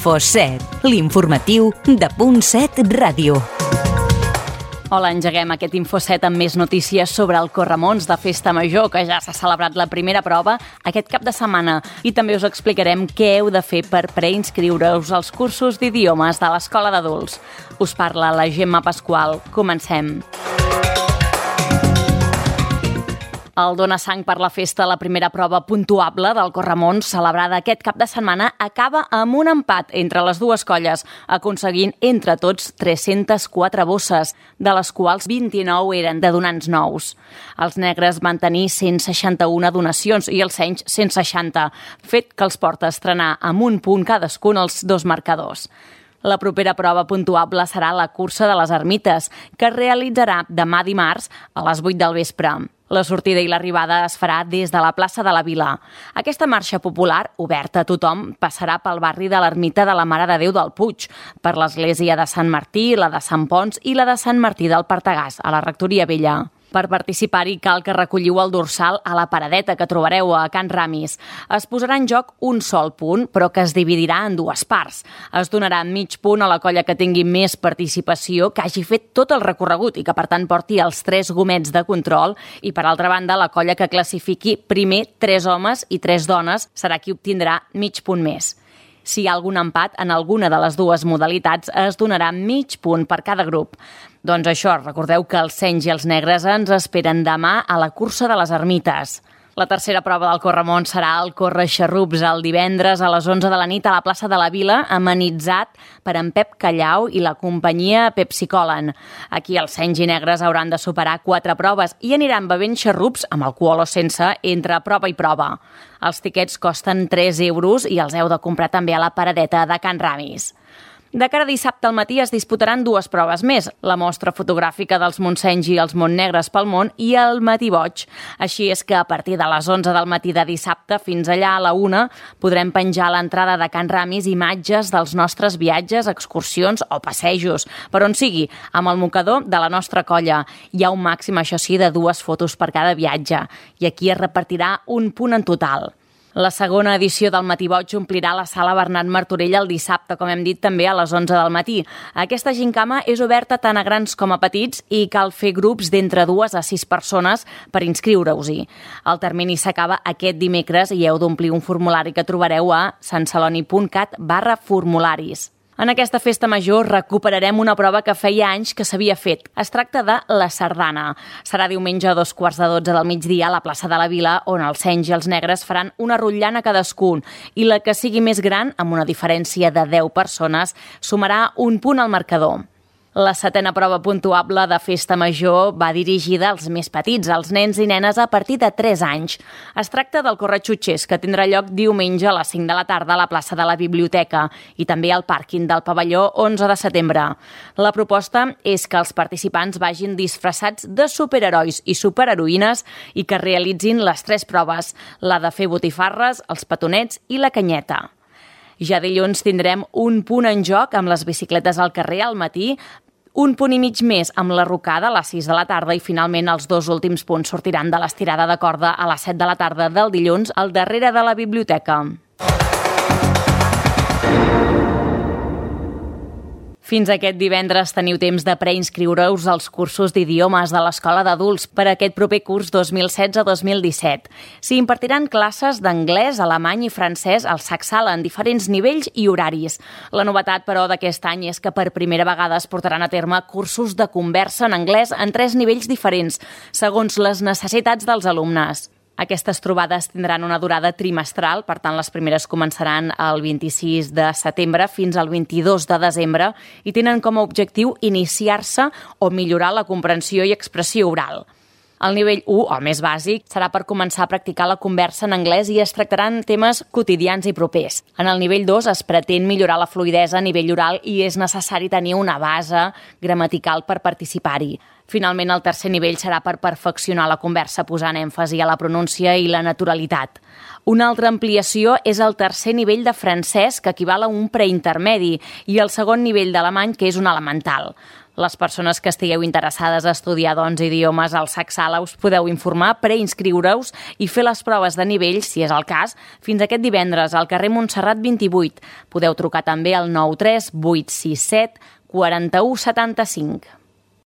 Info7, l'informatiu de Punt7 Ràdio. Hola, engeguem aquest Info7 amb més notícies sobre el Corremonts de Festa Major, que ja s'ha celebrat la primera prova aquest cap de setmana. I també us explicarem què heu de fer per preinscriure-us als cursos d'idiomes de l'Escola d'Adults. Us parla la Gemma Pasqual. Comencem. El Dona Sang per la Festa, la primera prova puntuable del Corremonts, celebrada aquest cap de setmana, acaba amb un empat entre les dues colles, aconseguint entre tots 304 bosses, de les quals 29 eren de donants nous. Els negres van tenir 161 donacions i els senys 160, fet que els porta a estrenar amb un punt cadascun els dos marcadors. La propera prova puntuable serà la cursa de les ermites, que es realitzarà demà dimarts a les 8 del vespre. La sortida i l'arribada es farà des de la plaça de la Vila. Aquesta marxa popular, oberta a tothom, passarà pel barri de l'Ermita de la Mare de Déu del Puig, per l'església de Sant Martí, la de Sant Pons i la de Sant Martí del Partegàs, a la Rectoria Vella. Per participar-hi cal que recolliu el dorsal a la paradeta que trobareu a Can Ramis. Es posarà en joc un sol punt, però que es dividirà en dues parts. Es donarà mig punt a la colla que tingui més participació, que hagi fet tot el recorregut i que, per tant, porti els 3 gomets de control. I, per altra banda, la colla que classifiqui primer 3 homes i 3 dones serà qui obtindrà mig punt més. Si hi ha algun empat en alguna de les dues modalitats, es donarà mig punt per cada grup. Doncs això, recordeu que els senys i els negres ens esperen demà a la cursa de les ermites. La tercera prova del Corremonts serà el Corre-xarrups el divendres a les 11 de la nit a la plaça de la Vila, amenitzat per en Pep Callau i la companyia Pepsi Colen. Aquí els senys i negres hauran de superar 4 proves i aniran bevent xarrups amb alcohol o sense entre prova i prova. Els tiquets costen 3 euros i els heu de comprar també a la paradeta de Can Ramis. De cara a dissabte al matí es disputaran 2 proves més, la mostra fotogràfica dels Montsenys i els Montnegres pel món i el Matí Boig. Així és que a partir de les 11 del matí de dissabte fins allà a la 1 podrem penjar a l'entrada de Can Ramis imatges dels nostres viatges, excursions o passejos, per on sigui, amb el mocador de la nostra colla. Hi ha un màxim, això sí, de 2 fotos per cada viatge i aquí es repartirà un punt en total. La segona edició del Matí Boig omplirà la sala Bernat Martorell el dissabte, com hem dit, també a les 11 del matí. Aquesta gincama és oberta tant a grans com a petits i cal fer grups d'entre 2 a 6 persones per inscriure-us-hi. El termini s'acaba aquest dimecres i heu d'omplir un formulari que trobareu a santceloni.cat/formularis. En aquesta festa major recuperarem una prova que feia anys que s'havia fet. Es tracta de la sardana. Serà diumenge a 2:15 del migdia a la plaça de la Vila, on els senys i els negres faran una rotllana cadascun i la que sigui més gran, amb una diferència de 10 persones, sumarà un punt al marcador. La 7a prova puntuable de Festa Major va dirigida als més petits, als nens i nenes a partir de 3 anys. Es tracta del Corre-xutxers, que tindrà lloc diumenge a les 5 de la tarda a la plaça de la Biblioteca i també al pàrquing del pavelló 11 de setembre. La proposta és que els participants vagin disfressats de superherois i superheroïnes i que realitzin les 3 proves, la de fer botifarres, els petonets i la canyeta. Ja dilluns tindrem un punt en joc amb les bicicletes al carrer al matí, un punt i mig més amb la rocada a les 6 de la tarda i finalment els 2 últims punts sortiran de l'estirada de corda a les 7 de la tarda del dilluns al darrere de la biblioteca. Fins aquest divendres teniu temps de preinscriure-us als cursos d'idiomes de l'Escola d'Adults per a aquest proper curs 2016-2017. S'hi impartiran classes d'anglès, alemany i francès al Sacsala en diferents nivells i horaris. La novetat, però, d'aquest any és que per primera vegada es portaran a terme cursos de conversa en anglès en 3 nivells diferents, segons les necessitats dels alumnes. Aquestes trobades tindran una durada trimestral, per tant les primeres començaran el 26 de setembre fins al 22 de desembre i tenen com a objectiu iniciar-se o millorar la comprensió i expressió oral. El nivell 1, o més bàsic, serà per començar a practicar la conversa en anglès i es tractaran temes quotidians i propers. En el nivell 2 es pretén millorar la fluïdesa a nivell oral i és necessari tenir una base gramatical per participar-hi. Finalment, el tercer nivell serà per perfeccionar la conversa posant èmfasi a la pronúncia i la naturalitat. Una altra ampliació és el tercer nivell de francès, que equival a un preintermedi, i el segon nivell d'alemany, que és un elemental. Les persones que estigueu interessades a estudiar idiomes al SAC Sala us podeu informar, preinscriure-us i fer les proves de nivell, si és el cas, fins aquest divendres al carrer Montserrat 28. Podeu trucar també al 93 867 41 75.